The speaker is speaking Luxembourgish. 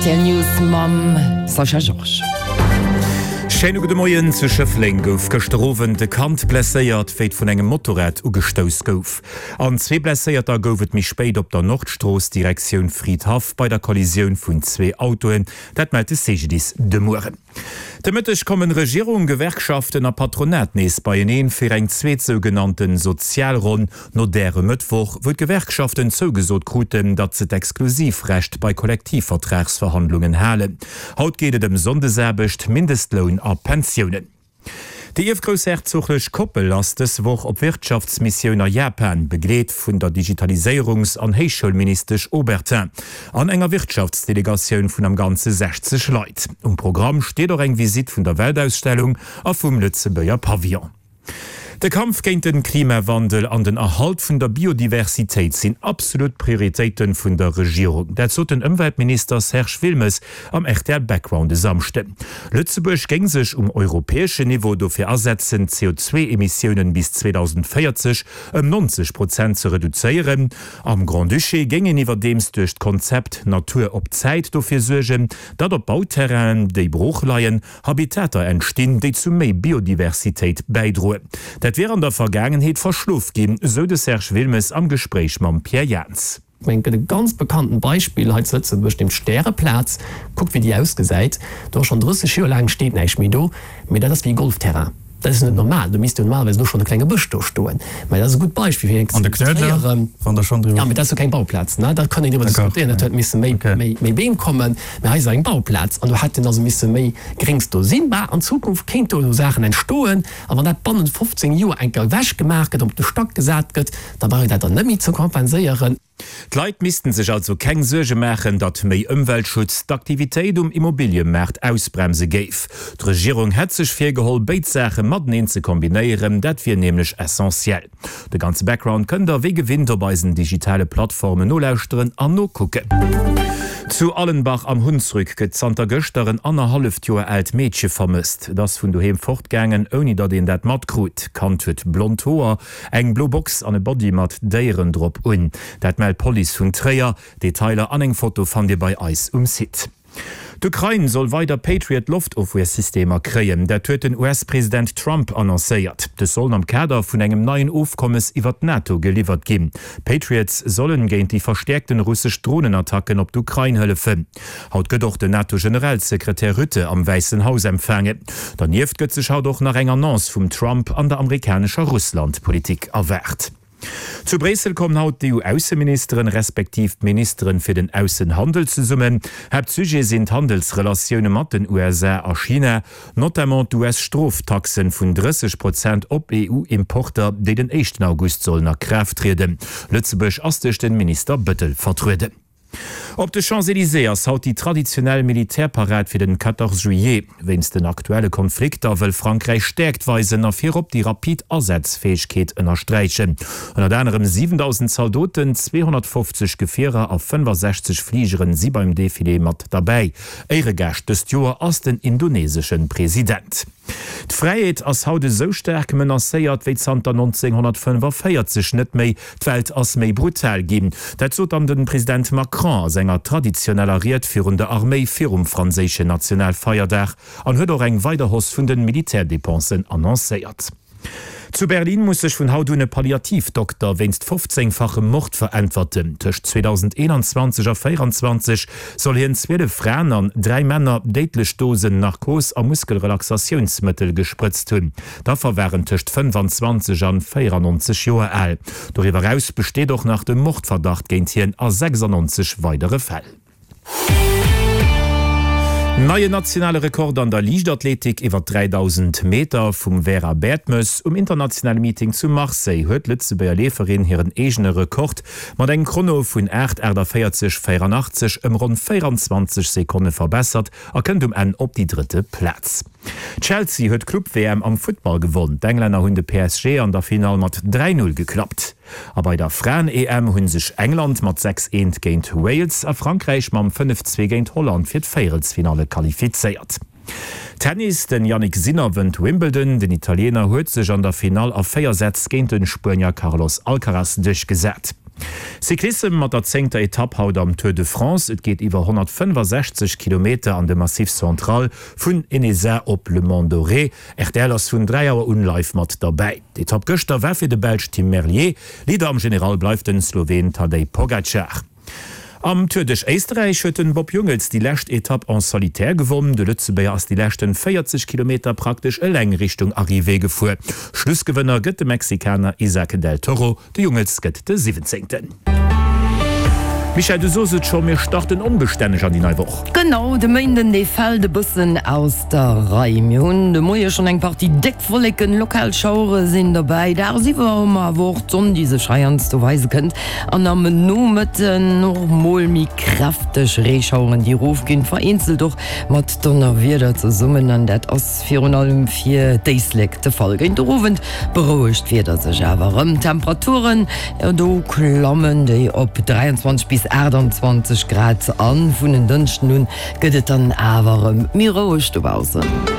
Rtl News mam Sascha Georges. Schéine gudde Moien. Zu Schëffleng gouf gëschter Owend e Kand blesséiert, wéi et vun engem Motorrad ugestouss gouf. An zwee Blesséierter gouf et méi spéit op der Nordstrooss Direktioun Fridhaff bei der Kollisioun vun zwee Autoen. Dat mellt de CGDIS de Mueren. De Mëtteg kommen Regierung, Gewerkschaften a Patronat nees beieneen fir eng zweet sougenannten Sozialronn no där e Mëttwoch, wou d'Gewerkschaften zougesot kruten, datt se d'Exklusivrecht bei Kollektivvertragsverhandlungen halen. Haut geet et ëm Sonndesaarbecht, Mindestloun a Pensiounen. Déi ierfgroussherzoglech Koppel ass dës Woch op Wirtschaftsmissioun a Japan, begleet vun der Digitaliséierungs an Héichschoulministesch Obertin an enger Wirtschaftsdelegatioun vun am Ganze 60 Leit. Um Programm steet och eng Visitt vun der Weltausstellung a vum Lëtzebuerger Pavillon. De Kampf géint den Klimawandel an den Erhalt vun der Biodiversitéit sinn absolut Prioritéiten vun der Regierung. Dat sot den Ëmweltminister Serge Wilmes am rtl Background e Samschden. Lëtzebuerg géing sech um europäeschen Niveau dofir asetzen, d'CO2-Emissiounen bis 2040 ëm 90 Prozent ze reduzéieren. Am Grand-Duché géing een iwwerdeems duerch d'Konzept Natur op Zäit dofir suergen, datt op Bauterrainen, déi brooch leien, Habitater entstinn, déi zu méi Biodiversitéit bäidroen. Dat wier an der Vergaangenheet verschlof ginn, sou de Serge Wilmes am Gespréich mam Pierre Jans. Ech mengen, et gëtt e ganz bekanntent Beispill hei zu Lëtzebuerg, nämlech d'Stäreplaz. Kuckt, wéi déi ausgesäit. Do ass schonn 30 Joer laang steet näischt méi do, mee dat ass wéi e Golfterrain. Dat ass jo net normal. Do misst jo normalerweis elo schonn e klenge Bësch do stoen. Mä dat ass e gutt Beispill fir An de Knuedler, wann Der schonn driwwer. Jo, mee dat ass jo keng Bauplaz, ne? Da kann een driwwer diskutéieren. Dat huet misse méi, méi, méi Beem kommen. Mä hei ass eng Bauplaz an do hätten also misse méi Gréngs do sinn. Bah, an Zukunft kéint do elo Saachen entstoen. A wann dat bannent 15 Joer eng Kéier ewechgemaach gëtt, op de Stack gesat gëtt, da brauch een dat dann net méi ze kompenséieren. D'Leit missten sech also keng Suerge maachen, datt méi Ëmweltschutz d'Aktivitéit um Immobiliëmaart ausbremse géif. D'Regierung hätt sech virgeholl, béid Saache mateneen ze kombinéieren, dat wier nämlech essentiell. De ganze Background kënnt der wéi gewinnt op eisen digitale Plattformen nolauschteren an nokucken. Zu Allenbach am Hunsrück gëtt zanter gëschter en annerhalleft Joer aalt Meedche vermësst. Et ass vun doheem fortgaangen, ouni datt een dat matkrut. D'Kand huet blond Hoer, Eng blo Box an e Body mat Déieren drop un. Dat mellt d'Police vun Tréier. Detailer an eng Foto fannt Dir bei eis um Site. D'Ukrain soll weider Patriot-Loftofwiersystemer kréien. Dat huet den US-President Trump annoncéiert. Dës sollen am Kader vun engem neien Ofkommes iwwer d'NATO geliwwert ginn. D'Patriots sollen géint déi verstäerkten russesch Dronenattacken op d'Ukrain hëllefen. Haut gëtt och den NATO-Generalsekretär Rutte am Wäissen Haus empfaangen. Dernieft gëtt sech haut och nach eng Annonce vum Trump an der amerikanescher Russland-Politik erwaart. Zu Bréissel kommen haut d'EU-Ausseministeren, respektiv d'Ministeren fir den Aussenhandel zesummen. Haaptsujet sinn d'Handelsrelatioune mat den USA a China, notamment d'US-Stroftaxen vun 30 Prozent op EU-Importer, déi den éischten August sollen a Kraaft trieden. Lëtzebuerg ass duerch den Minister Bettel vertrueden. Op de Champs-Elysées ass haut déi traditionell Militärparad fir den 14 Juillet. Wéinst den aktuelle Konflikter wëll Frankräich Stäerkt weisen a virop déi rapid Asazfäegkeet ënnersträichen. Ënnert anerem 7.000 Zaldoten, 250 Gefierer a 65 Fligeren si beim Defilé mat derbäi. Éiregaascht dëst Joer ass den indonesesche President. D'Fräiheet ass haut esou staark menacéiert wéi zanter 1945 net méi. D'Welt ass méi brutal ginn. Dat sot dann de President Macron a senger traditioneller Ried virun der Arméi virum franséischen Nationalfeierdag an huet och eng weider Hausse vun de Militärdépensen annoncéiert. Zu Berlin muss sech vun haut un e Palliativdokter wéinst 15-fachem Mord veräntwerten. Tëscht 2021 a 24 soll hien 12 Fraen an 3 Männer déidlech Dosen Narkos a Muskelrelaxatiounsmëttel gesprëtzt hunn. D'Affer waren tëscht 25 an 94 Joer al. Doriwwer eraus besteet och nach de Mordverdacht géint hien a 96 weidere Fäll. Neien nationale Rekord an der Liichtathletik iwwer 3000 Meter vum Vera Bertmes. Um internationale Meeting zu Marseille huet d'Lëtzebuerger Leeferin hiren eegene Rekord mat engem Chrono vun 8, 48, 84 ëm ronn 24 Sekonne verbessert a kënnt um Enn op déi drëtte Plaz. Chelsea huet d'Club-WM am Futtball gewonn. D'Englänner hunn de PSG an der Finall mat 3, 0 geklappt. A bei der Fraen-EM hu sech England mat 6, 1 géint Wales a Frankräich mam 5, 2 géint Holland fir d'Véierelsfinalle qualifizéiert. Tennis, Den Jannik Sinner wënnt Wimbledon. Den Italiener huet sech an der Finall a 4 Sätz géint de Spuenier Carlos Alcaraz duerchgesat. Cyclissem mat der zéngter Etapp haut am Tour de France. Et geet iwwer 165 Kilometer an de Massif Central vun Ennezat op Le Mont-Doré. Rtl ass vun 3 Auer un live mat derbäi. D'Etapp gëschter war fir de Belsch Tim Merlier. Leader am General bleift den Sloween Tadej Pogacar. Am Tour duerch Éisterräich huet den Bob Jungels déi lescht Etapp en solitaire gewonn. De Lëtzebuerger ass déi leschten 40 Kilometer praktesch eleng Richtung Arrivée gefuer. Schlussgewënner gëtt de Mexikaner Isaac del Toro. De Jungels gëtt de Siwwenzéngten. Michèle, du sos et scho, mir starten onbestänneg an déi nei Woch. Genau, de Méinden, dee fält e bëssen aus der Rei. Mir hunn de Moie schonn eng Partie déck Wolleken, lokal Schauere sinn dobäi. Dagsiwwer hu mer awer och d'Sonn, déi sech heiansdo weise kënnt, an am Nomëtten och mol méi kräfteg Reeschaueren, déi erofginn, vereenzelt och mat Donnerwieder zesummen, an dat ass Virun allem fir d'Éislek de Fall. Géint de Owend berouegt d'Wieder sech awer erëm. D'Temperaturen, jo do klammen déi op 23 bis 28 Grad an. Vun en Dënschden un gëtt et dann awer erëm méi roueg dobaussen.